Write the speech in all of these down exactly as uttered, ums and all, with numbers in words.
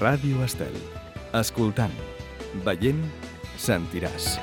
Ràdio Estel. Escoltant, veient, sentiràs.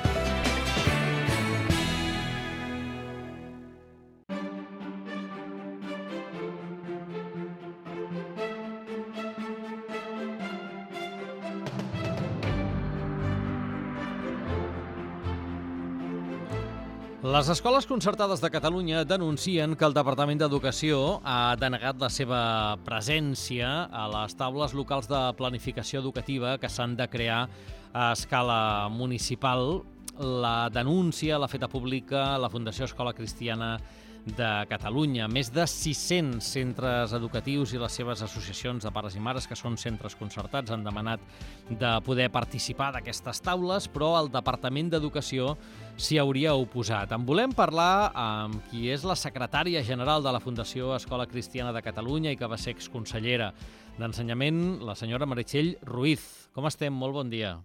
Les escoles concertades de Catalunya denuncien que el Departament d'Educació ha denegat la seva presència a les taules locals de planificació educativa que s'han de crear a escala municipal. La denúncia l'ha feta pública la Fundació Escola Cristiana de Catalunya. Més de sis-cents centres educatius i les seves associacions de pares i mares, que són centres concertats, han demanat de poder participar d'aquestes taules, però el Departament d'Educació s'hi hauria oposat. En volem parlar amb qui és la secretària general de la Fundació Escola Cristiana de Catalunya i que va ser exconsellera d'Ensenyament, la senyora Meritxell Ruiz. Com estem? Molt bon dia.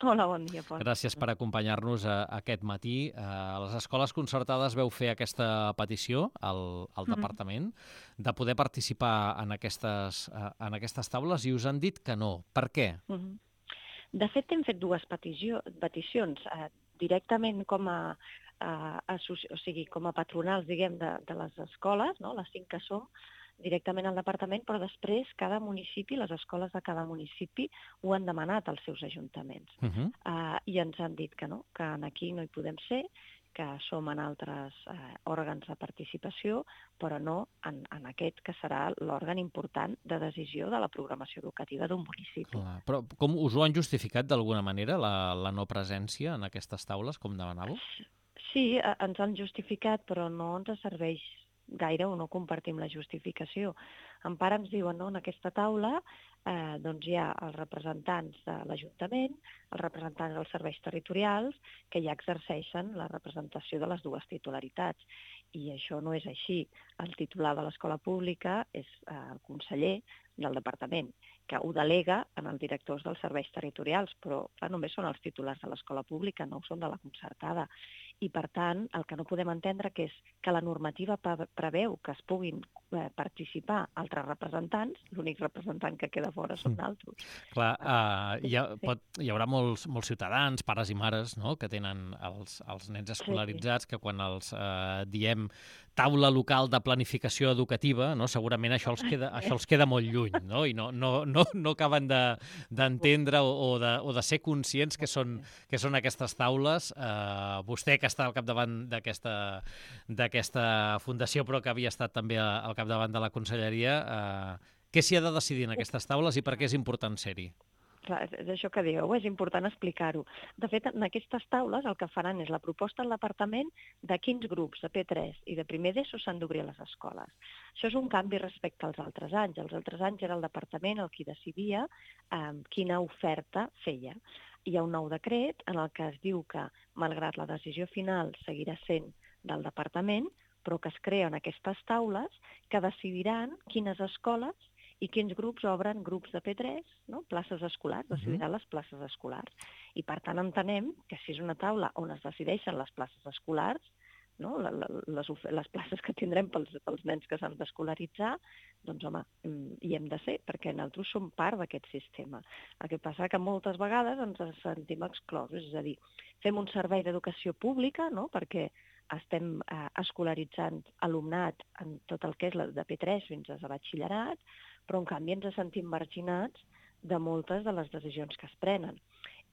Hola, bon dia, Pol. Gràcies per acompanyar-nos aquest matí. A les escoles concertades veu fer aquesta petició al, al mm-hmm. Departament de poder participar en aquestes, en aquestes taules i us han dit que no. Per què? Mm-hmm. De fet, hem fet dues petició, peticions eh, directament com a, eh, o sigui, com a patronals, diguem, de, de les escoles, no? Les cinc que som, directament al departament, però després cada municipi, les escoles de cada municipi ho han demanat als seus ajuntaments. Uh-huh. uh, I ens han dit que no, que aquí no hi podem ser, que som en altres uh, òrgans de participació, però no en, en aquest que serà l'òrgan important de decisió de la programació educativa d'un municipi. Clar, però com us ho han justificat d'alguna manera, la, la no presència en aquestes taules, com demanàveu? Sí, uh, ens han justificat, però no ens serveix gaire o no compartim la justificació. En part ens diuen, no, en aquesta taula eh, doncs hi ha els representants de l'Ajuntament, els representants dels serveis territorials, que ja exerceixen la representació de les dues titularitats. I això no és així. El titular de l'escola pública és eh, el conseller del departament, que ho delega en els directors dels serveis territorials, però clar, només són els titulars de l'escola pública, no són de la concertada. I, per tant, el que no podem entendre que és que la normativa preveu que es puguin eh, participar altres representants, l'únic representant que queda fora són altres. Clar, uh, hi, ha, pot, hi haurà molts, molts ciutadans, pares i mares, no?, que tenen els, els nens escolaritzats, sí, sí. que quan els uh, diem taula local de planificació educativa, no?, segurament això els queda, això els queda molt lluny, no?, i no, no, no, no acaben d'entendre de, o, o, de, o de ser conscients que són, que són aquestes taules. Uh, vostè, que està al capdavant d'aquesta fundació, però que havia estat també al capdavant de la conselleria, eh, què s'hi ha de decidir en aquestes taules i per què és important ser-hi? Clar, és això que dieu, és important explicar-ho. De fet, en aquestes taules el que faran és la proposta al departament de quins grups de P tres i de primer d'ESO s'han d'obrir a les escoles. Això és un canvi respecte als altres anys. Els altres anys era el departament el qui decidia eh, quina oferta feia. Hi ha un nou decret en el que es diu que, malgrat la decisió final seguirà sent del departament, però que es creen aquestes taules que decidiran quines escoles i quins grups obren grups de P tres, no? Places escolars, decidiran les places escolars. I per tant entenem que si és una taula on es decideixen les places escolars, no? les, les places que tindrem pels, pels nens que s'han d'escolaritzar, doncs home, hi hem de ser, perquè nosaltres som part d'aquest sistema. El que passa que moltes vegades ens sentim exclosos, és a dir, fem un servei d'educació pública, no? Perquè estem eh, escolaritzant alumnat en tot el que és de P tres fins a batxillerat, però en canvi ens sentim marginats de moltes de les decisions que es prenen.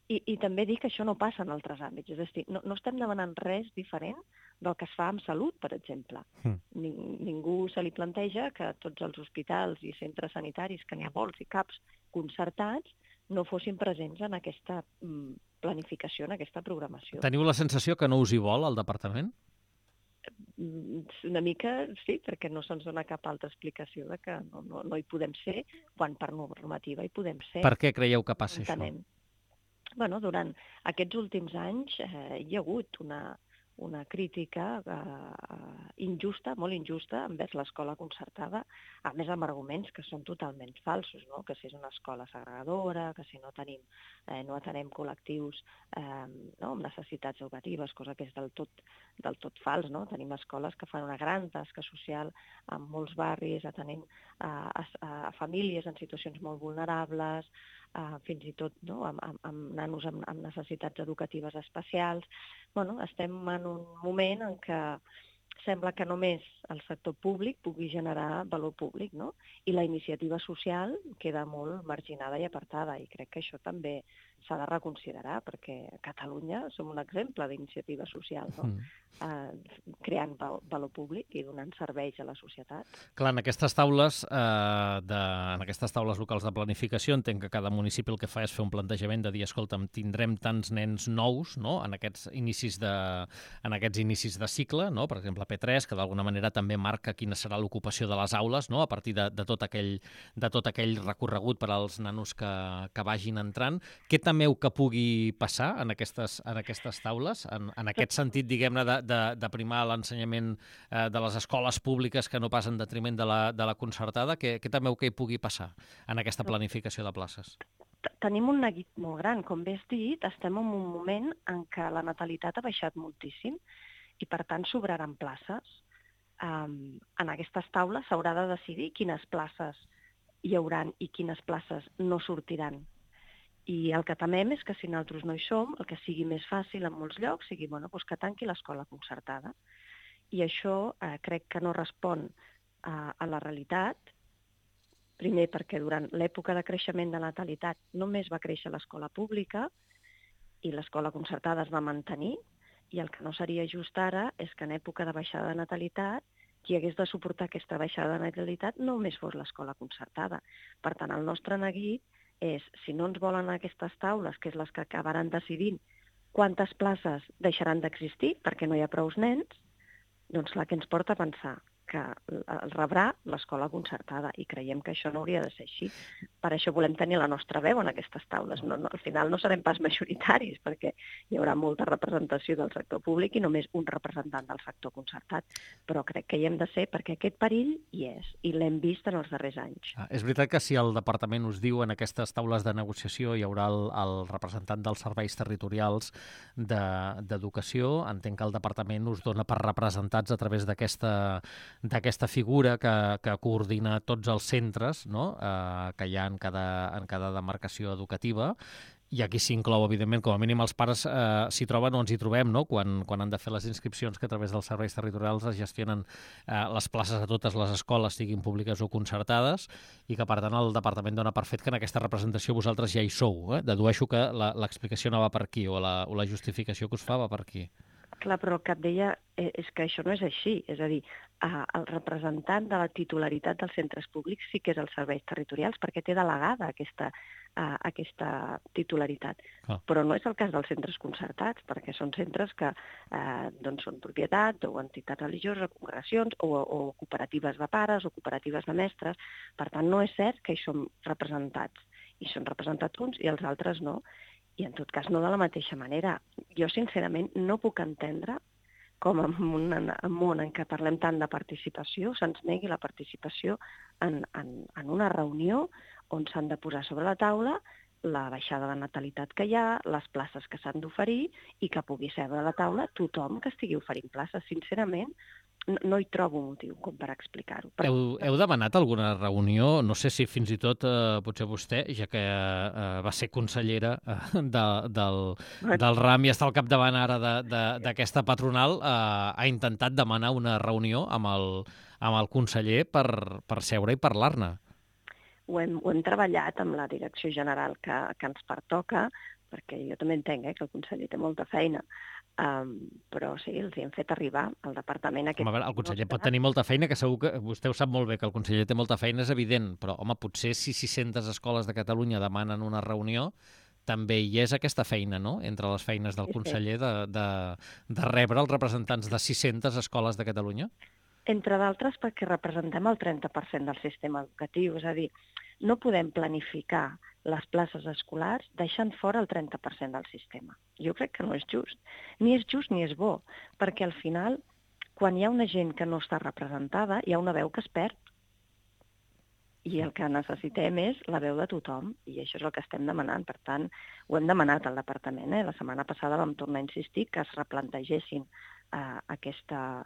I, i també dir que això no passa en altres àmbits, és a dir, no, no estem demanant res diferent del que es fa amb salut, per exemple. Mm. Ning, ningú se li planteja que tots els hospitals i centres sanitaris, que n'hi ha molts i caps concertats, no fossin presents en aquesta mm, planificació, en aquesta programació. Teniu la sensació que no us hi vol, el departament? Una mica sí, perquè no se'ns dona cap altra explicació de que no, no, no hi podem ser, quan per normativa hi podem ser. Per què creieu que passa Entenem. Això? Bueno, durant aquests últims anys eh, hi ha hagut una, una crítica eh, injusta, molt injusta, envers l'escola concertada, a més amb arguments que són totalment falsos, no? Que si és una escola segregadora, que si no tenim, eh, no atenem col·lectius eh, no? amb necessitats educatives, cosa que és del tot, del tot fals, no? Tenim escoles que fan una gran tasca social en molts barris, atenent a, a, a famílies en situacions molt vulnerables, uh, fins i tot no? amb, amb, amb nanos amb, amb necessitats educatives especials. Bueno, estem en un moment en què sembla que només el sector públic pugui generar valor públic, no? I la iniciativa social queda molt marginada i apartada, i crec que això també s'ha de reconsiderar, perquè a Catalunya som un exemple d'iniciativa social, no? Mm. Eh, creant val valor públic i donant serveis a la societat. Clar, en aquestes taules, eh, de, en aquestes taules locals de planificació, entenc que cada municipi el que fa és fer un plantejament de dir, escolta'm, tindrem tants nens nous, no?, en aquests inicis de, en aquests inicis de cicle, no?, per exemple, P tres, que d'alguna manera també marca quina serà l'ocupació de les aules, no?, a partir de, de, tot aquell, de tot aquell recorregut per als nanos que, que vagin entrant. Què temeu que pugui passar en aquestes, en aquestes taules? En, en aquest sentit, diguem-ne, de, de, de primar l'ensenyament eh, de les escoles públiques que no pas en detriment de la, de la concertada, què, què temeu que hi pugui passar en aquesta planificació de places? Tenim un neguit molt gran. Com bé has dit, estem en un moment en què la natalitat ha baixat moltíssim i, per tant, sobraran places. Um, en aquestes taules s'haurà de decidir quines places hi hauran i quines places no sortiran. I el que temem és que si nosaltres no hi som, el que sigui més fàcil en molts llocs sigui bueno, doncs que tanqui l'escola concertada. I això eh, crec que no respon a, a la realitat, primer perquè durant l'època de creixement de natalitat només va créixer l'escola pública i l'escola concertada es va mantenir, i el que no seria just ara és que en època de baixada de natalitat qui hagués de suportar aquesta baixada de natalitat només fos l'escola concertada. Per tant, el nostre neguit és, si no ens volen aquestes taules, que és les que acabaran decidint quantes places deixaran d'existir perquè no hi ha prous nens, doncs la que ens porta a pensar que el rebrà l'escola concertada, i creiem que això no hauria de ser així. Per això volem tenir la nostra veu en aquestes taules. No, no, al final no serem pas majoritaris, perquè hi haurà molta representació del sector públic i només un representant del sector concertat, però crec que hi hem de ser perquè aquest perill hi és, i l'hem vist en els darrers anys. Ah, és veritat que si el departament us diu en aquestes taules de negociació hi haurà el, el representant dels serveis territorials d'educació, de, entenc que el departament us dona per representats a través d'aquesta d'aquesta figura que, que coordina tots els centres, no?, eh, que hi ha en cada, en cada demarcació educativa, i aquí s'inclou, evidentment, com a mínim els pares eh, s'hi troben o ens hi trobem, no?, quan, quan han de fer les inscripcions que a través dels serveis territorials es gestionen eh, les places a totes les escoles, siguin públiques o concertades, i que, per tant, el departament dona per fet que en aquesta representació vosaltres ja hi sou. Eh? Dedueixo que l'explicació no va per aquí, o la, o la justificació que us fa va per aquí. Clar, però el que et deia és que això no és així. És a dir, el representant de la titularitat dels centres públics sí que és els serveis territorials, perquè té delegada aquesta, aquesta titularitat. Ah. Però no és el cas dels centres concertats, perquè són centres que eh, doncs són propietat o entitats religioses, o congregacions, o, o cooperatives de pares, o cooperatives de mestres. Per tant, no és cert que hi som representats. Hi són representats uns i els altres no. I en tot cas no de la mateixa manera. Jo, sincerament, no puc entendre com en un, en un món en què parlem tant de participació se'ns negui la participació en, en, en una reunió on s'han de posar sobre la taula la baixada de natalitat que hi ha, les places que s'han d'oferir i que pugui seure a la taula tothom que estigui oferint places. Sincerament, no, no hi trobo motiu com per explicar-ho. Heu, heu demanat alguna reunió? No sé si fins i tot eh, potser vostè, ja que eh, va ser consellera eh, de, del, del RAM i està al capdavant ara d'aquesta patronal, eh, ha intentat demanar una reunió amb el, amb el conseller per, per seure i parlar-ne. Ho hem, ho hem treballat amb la direcció general que, que ens pertoca, perquè jo també entenc eh, que el conseller té molta feina, um, però sí, els hi hem fet arribar al departament aquest... Home, a veure, el conseller pot tenir molta feina, que segur que vostè ho sap molt bé, que el conseller té molta feina, és evident, però, home, potser si sis-centes escoles de Catalunya demanen una reunió, també hi és aquesta feina, no?, entre les feines del conseller de, de, de rebre els representants de sis-centes escoles de Catalunya? Entre d'altres perquè representem el trenta per cent del sistema educatiu, és a dir, no podem planificar les places escolars deixant fora el trenta per cent del sistema. Jo crec que no és just. Ni és just ni és bo, perquè al final, quan hi ha una gent que no està representada, hi ha una veu que es perd. I el que necessitem és la veu de tothom, i això és el que estem demanant. Per tant, ho hem demanat al departament. Eh? La setmana passada vam tornar a insistir que es replantegessin eh, aquesta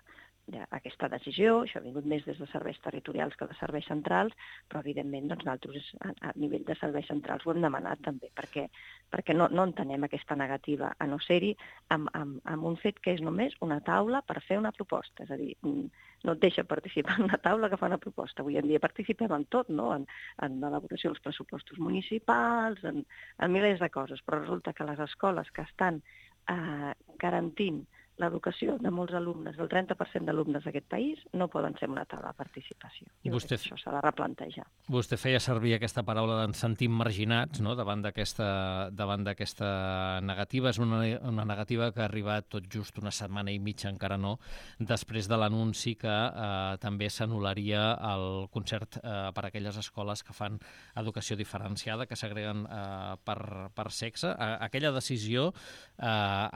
aquesta decisió, això ha vingut més des de serveis territorials que de serveis centrals, però evidentment doncs, nosaltres a, a nivell de serveis centrals ho hem demanat també, perquè, perquè no, no entenem aquesta negativa a no ser-hi amb, amb, amb un fet que és només una taula per fer una proposta, és a dir, no et deixa participar en una taula que fa una proposta. Avui en dia participem en tot, no? en, en l'elaboració dels pressupostos municipals, en, en milers de coses, però resulta que les escoles que estan eh, garantint l'educació de molts alumnes, del trenta per cent d'alumnes d'aquest país, no poden ser una taula de participació. I vostè, això s'ha de replantejar. Vostè feia servir aquesta paraula d'ens sentim marginats, no?, davant d'aquesta davant d'aquesta negativa. És una, una negativa que ha arribat tot just una setmana i mitja, encara no, després de l'anunci que eh, també s'anul·laria el concert eh, per a aquelles escoles que fan educació diferenciada, que s'agreguen eh, per, per sexe. Eh, aquella decisió eh,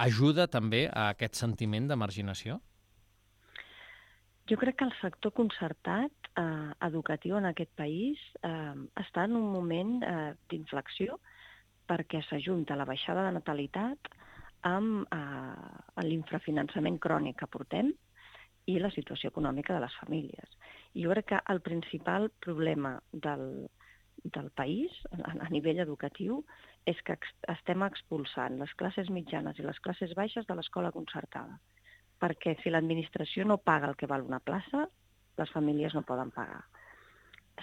ajuda també a aquest sentiment de marginació? Jo crec que el sector concertat eh, educatiu en aquest país eh, està en un moment eh, d'inflexió perquè s'ajunta la baixada de natalitat amb eh, l'infrafinançament crònic que portem i la situació econòmica de les famílies. I jo crec que el principal problema del, del país a, a nivell educatiu és que ex, estem expulsant les classes mitjanes i les classes baixes de l'escola concertada. Perquè si l'administració no paga el que val una plaça, les famílies no poden pagar.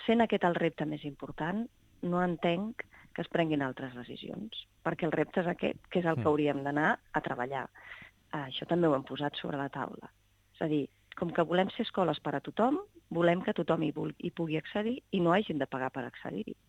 Sent aquest el repte més important, no entenc que es prenguin altres decisions, perquè el repte és aquest, que és el que hauríem d'anar a treballar. Això també ho hem posat sobre la taula. És a dir, com que volem ser escoles per a tothom, volem que tothom hi, vulgui, hi pugui accedir i no hagin de pagar per accedir-hi.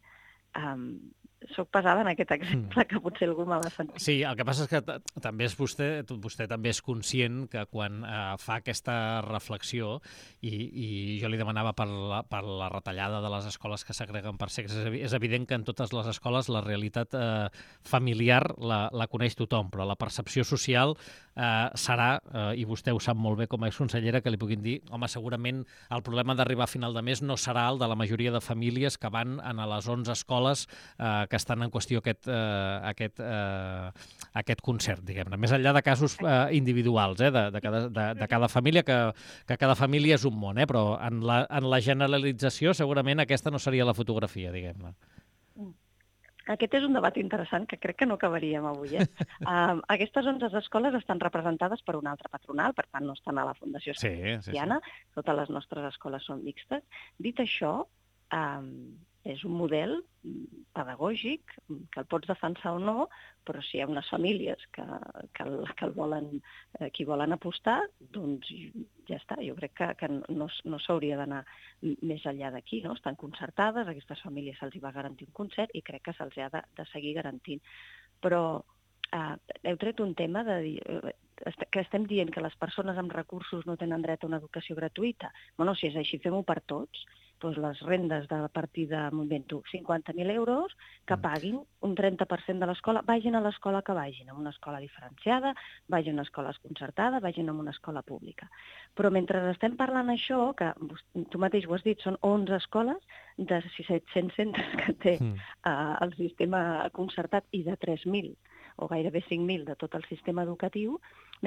Um, soc pesada en aquest exemple, mm. que potser algú me l'ha sentit. Sí, el que passa és que també és vostè, vostè també és conscient que quan eh, fa aquesta reflexió, i, i jo li demanava per la, per la retallada de les escoles que s'agreguen per sexe, és evident que en totes les escoles la realitat eh, familiar la, la coneix tothom, però la percepció social eh, serà, eh, i vostè ho sap molt bé com a exconsellera, que li puguin dir, home, segurament el problema d'arribar a final de mes no serà el de la majoria de famílies que van a les onze escoles eh, que estan en qüestió aquest, eh, aquest, eh, aquest concert, diguem-ne. Més enllà de casos eh, individuals eh, de, de, cada, de, de cada família, que, que cada família és un món, eh, però en la, en la generalització segurament aquesta no seria la fotografia, diguem-ne. Aquest és un debat interessant que crec que no acabaríem avui. Eh? uh, aquestes onze escoles estan representades per una altra patronal, per tant no estan a la Fundació sí, sí, sí. Totes les nostres escoles són mixtes. Dit això, um, és un model pedagògic que el pots defensar o no, però si hi ha unes famílies que, que, el, que el volen, eh, qui volen apostar, doncs ja està. Jo crec que, que no, no s'hauria d'anar més enllà d'aquí, no? Estan concertades, a aquestes famílies se'ls va garantir un concert i crec que se'ls ha de, de seguir garantint. Però eh, heu tret un tema de dir, eh, que estem dient que les persones amb recursos no tenen dret a una educació gratuïta. Bueno, si és així, fem-ho per tots. Doncs les rendes de la partida, m'invento, cinquanta mil euros, que paguin un trenta per cent de l'escola, vagin a l'escola que vagin, a una escola diferenciada, vagin a escoles concertades, vagin a una escola pública. Però mentre estem parlant això, que tu mateix ho has dit, són onze escoles de set-cents centres que té mm. uh, el sistema concertat i de tres mil o gairebé cinc mil de tot el sistema educatiu,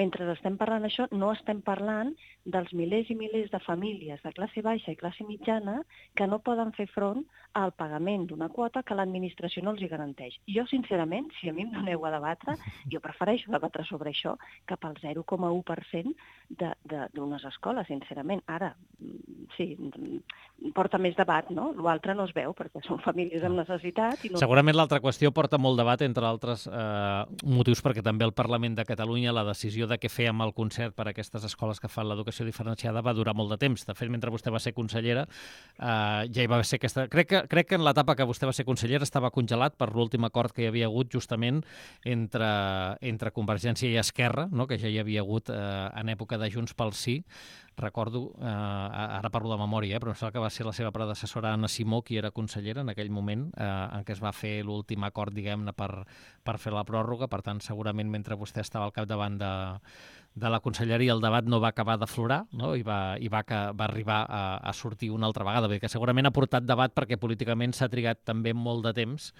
mentre estem parlant això, no estem parlant dels milers i milers de famílies de classe baixa i classe mitjana que no poden fer front al pagament d'una quota que l'administració no els hi garanteix. Jo, sincerament, si a mi em doneu a debatre, jo prefereixo debatre sobre això que pel zero coma u per cent d'unes escoles, sincerament. Ara, sí, porta més debat, no? L'altre no es veu, perquè són famílies amb necessitat. I no... Segurament l'altra qüestió porta molt debat, entre altres eh, motius, perquè també el Parlament de Catalunya, la decisió de què fer amb el concert per a aquestes escoles que fan l'educació diferenciada va durar molt de temps. De fet, mentre vostè va ser consellera, eh, ja hi va ser aquesta... Crec que, crec que en l'etapa que vostè va ser consellera estava congelat per l'últim acord que hi havia hagut justament entre, entre Convergència i Esquerra, no? Que ja hi havia hagut eh, en època de Junts pel Sí. Recordo, eh, ara parlo de memòria, eh, però em sembla que va ser la seva predecessora Anna Simó qui era consellera en aquell moment eh, en què es va fer l'últim acord, diguem-ne, per, per fer la pròrroga. Per tant, segurament mentre vostè estava al capdavant de, de la conselleria el debat no va acabar d'aflorar, no? I, va, i va, que, va arribar a, a sortir una altra vegada, perquè segurament ha portat debat perquè políticament s'ha trigat també molt de temps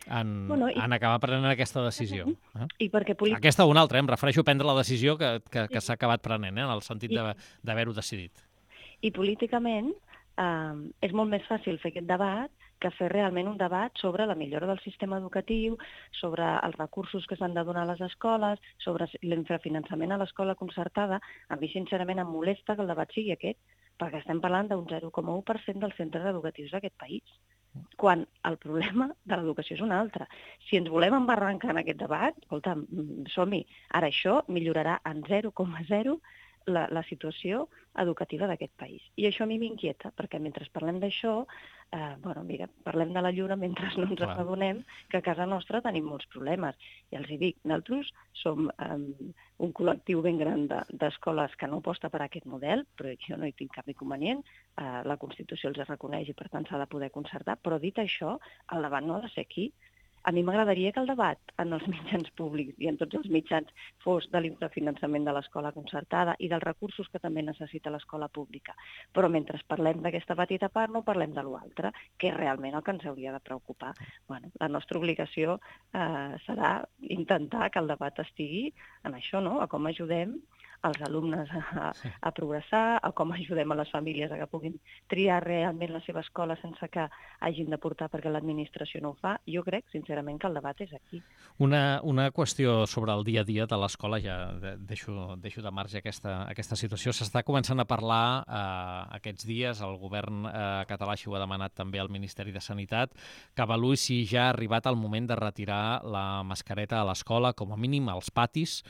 en, Bueno, i- en acabar prenent aquesta decisió. Eh? I perquè polític... Aquesta o una altra, eh? Em refereixo a prendre la decisió que, que, que Sí. s'ha acabat prenent, eh? En el sentit I- de- d'haver-ho decidit. I políticament eh, és molt més fàcil fer aquest debat que fer realment un debat sobre la millora del sistema educatiu, sobre els recursos que s'han de donar a les escoles, sobre l'infrafinançament a l'escola concertada. A mi, sincerament, em molesta que el debat sigui aquest, perquè estem parlant d'un zero coma u per cent dels centres educatius d'aquest país, quan el problema de l'educació és un altre. Si ens volem embarrancar en aquest debat, escolta, som-hi. Ara això millorarà en zero coma zero la, la situació educativa d'aquest país. I això a mi m'inquieta, perquè mentre parlem d'això, eh, bueno, mira, parlem de la lluna mentre no ens adonem que a casa nostra tenim molts problemes. I els hi dic, nosaltres som eh, un col·lectiu ben gran d'escoles de, que no aposta per aquest model, però jo no hi tinc cap inconvenient, eh, la Constitució els reconeix i per tant s'ha de poder concertar, però dit això, el debat no ha de ser aquí. A mi m'agradaria que el debat en els mitjans públics i en tots els mitjans fos de l'infrafinançament de l'escola concertada i dels recursos que també necessita l'escola pública. Però mentre parlem d'aquesta petita part no parlem de l'altre, que és realment el que ens hauria de preocupar. Bueno, la nostra obligació eh, serà intentar que el debat estigui en això, no? A com ajudem els alumnes a, a progressar, a com ajudem a les famílies a que puguin triar realment la seva escola sense que hagin de portar perquè l'administració no ho fa. Jo crec, sincerament, que el debat és aquí. Una, una qüestió sobre el dia a dia de l'escola, ja deixo, deixo de marge aquesta, aquesta situació. S'està començant a parlar eh, aquests dies, el govern eh, català així ho ha demanat també al Ministeri de Sanitat, que avaluï si ja ha arribat el moment de retirar la mascareta a l'escola, com a mínim als patis,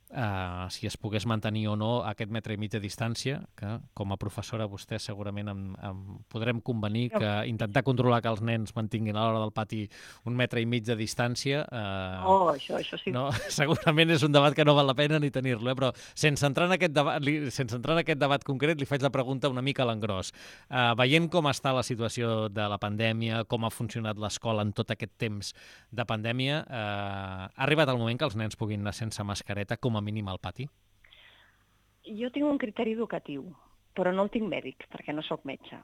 Uh, si es pogués mantenir o no aquest metre i mig de distància, que com a professora vostè segurament em, em podrem convenir que intentar controlar que els nens mantinguin a l'hora del pati un metre i mig de distància uh, oh, això, això sí. no, segurament és un debat que no val la pena ni tenir-lo, eh? Però sense entrar, en aquest debat, li, sense entrar en aquest debat concret li faig la pregunta una mica a l'engròs. Uh, veient com està la situació de la pandèmia, com ha funcionat l'escola en tot aquest temps de pandèmia, uh, ha arribat el moment que els nens puguin anar sense mascareta com a mínim al pati? Jo tinc un criteri educatiu, però no el tinc mèdic, perquè no sóc metge.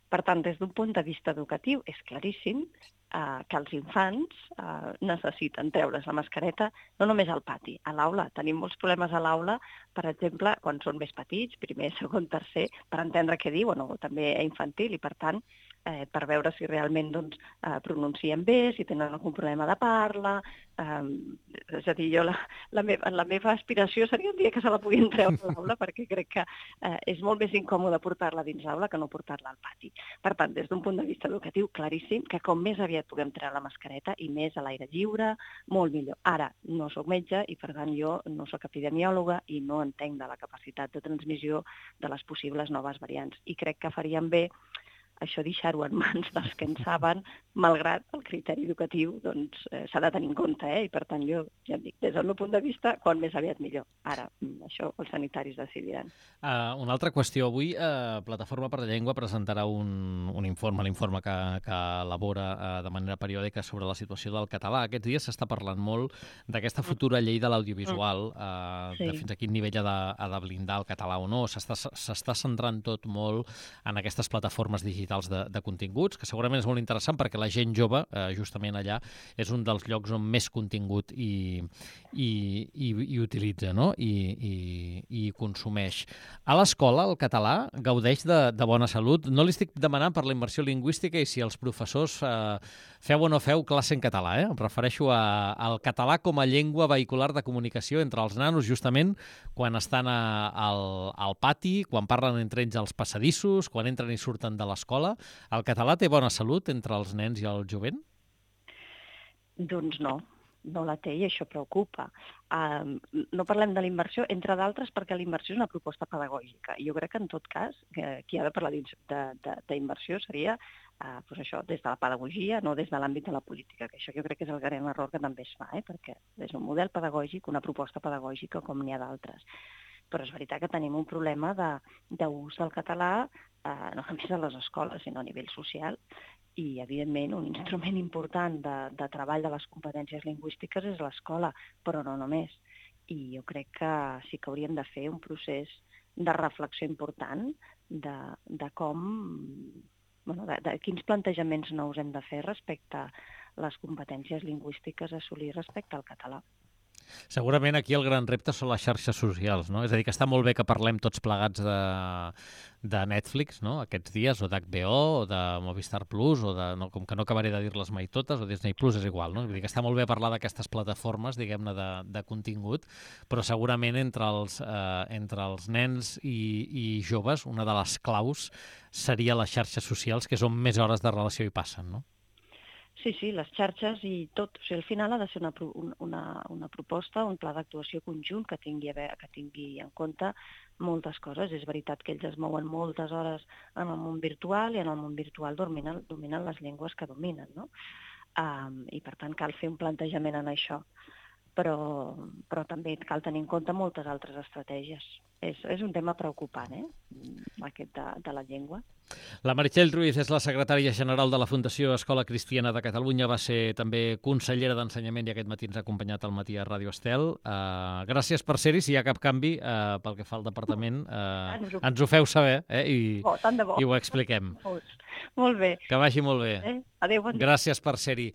Per tant, des d'un punt de vista educatiu, és claríssim eh, que els infants eh, necessiten treure's la mascareta no només al pati, a l'aula. Tenim molts problemes a l'aula, per exemple, quan són més petits, primer, segon, tercer, per entendre què diuen, o també a infantil, i per tant, eh, per veure si realment doncs, eh, pronuncien bé, si tenen algun problema de parla. Eh, és a dir, jo la, la, meva, la meva aspiració seria un dia que se la puguin treure a l'aula, perquè crec que eh, és molt més incòmode portar-la dins l'aula que no portar-la al pati. Per tant, des d'un punt de vista educatiu, claríssim que com més aviat puguem treure la mascareta i més a l'aire lliure, molt millor. Ara, no sóc metge i per tant jo no sóc epidemiòloga i no entenc de la capacitat de transmissió de les possibles noves variants. I crec que faríem bé això deixar-ho en mans dels que en saben, malgrat el criteri educatiu doncs, eh, s'ha de tenir en compte, eh? I per tant jo ja em dic, des del meu punt de vista, quan més aviat millor. Ara, això els sanitaris decidiran. Uh, una altra qüestió. Avui uh, Plataforma per la Llengua presentarà un, un informe, l'informe que, que elabora uh, de manera periòdica sobre la situació del català. Aquests dies s'està parlant molt d'aquesta futura llei de l'audiovisual, uh, sí. de fins a quin nivell ha de, ha de blindar el català o no. S'està centrant tot molt en aquestes plataformes digitals De, de continguts, que segurament és molt interessant perquè la gent jove, eh, justament allà, és un dels llocs on més contingut i, i, i, i utilitza, no? I, i, i consumeix. A l'escola, el català gaudeix de, de bona salut. No li estic demanant per la immersió lingüística i si els professors eh, feu o no feu classe en català, eh? Em refereixo a, al català com a llengua vehicular de comunicació entre els nanos, justament quan estan a, al, al pati, quan parlen entre ells als passadissos, quan entren i surten de l'escola. El català té bona salut entre els nens i el jovent? Doncs no, no la té i això preocupa. Uh, no parlem de l'immersió, entre d'altres, perquè l'immersió és una proposta pedagògica. Jo crec que, en tot cas, que qui ha de parlar d'immersió seria uh, doncs això, des de la pedagogia, no des de l'àmbit de la política, que això jo crec que és el gran error que també es fa, eh? Perquè és un model pedagògic, una proposta pedagògica com n'hi ha d'altres. Però és veritat que tenim un problema d'ús del català, eh, no només a les escoles, sinó a nivell social, i, evidentment, un instrument important de, de treball de les competències lingüístiques és l'escola, però no només. I jo crec que sí que hauríem de fer un procés de reflexió important de, de com, bueno, de, de quins plantejaments nous hem de fer respecte les competències lingüístiques a assolir respecte al català. Segurament aquí el gran repte són les xarxes socials, no? És a dir, que està molt bé que parlem tots plegats de, de Netflix, no?, aquests dies, o d'H B O, o de Movistar Plus, o de, no, com que no acabaré de dir-les mai totes, o Disney Plus, és igual, no? Vull dir que està molt bé parlar d'aquestes plataformes, diguem-ne, de, de contingut, però segurament entre els, eh, entre els nens i, i joves, una de les claus seria les xarxes socials, que és on més hores de relació hi passen, no? Sí, sí, les xarxes i tot. O sigui, al final ha de ser una, una, una proposta, un pla d'actuació conjunt que tingui, a veure, que tingui en compte moltes coses. És veritat que ells es mouen moltes hores en el món virtual i en el món virtual dominen, dominen les llengües que dominen, no? Um, I per tant cal fer un plantejament en això. Però, però també cal tenir en compte moltes altres estratègies. És, és un tema preocupant, eh?, aquest de, de la llengua. La Meritxell Ruiz és la secretària general de la Fundació Escola Cristiana de Catalunya, va ser també consellera d'Ensenyament i aquest matí ens ha acompanyat al matí a Ràdio Estel. Uh, gràcies per ser-hi, si hi ha cap canvi uh, pel que fa al departament, uh, ens, ho... ens ho feu saber, eh? I, oh, tant de bo. I ho expliquem. Molt, molt bé. Que vagi molt bé. Eh? Adéu, bon dia. Gràcies per ser-hi.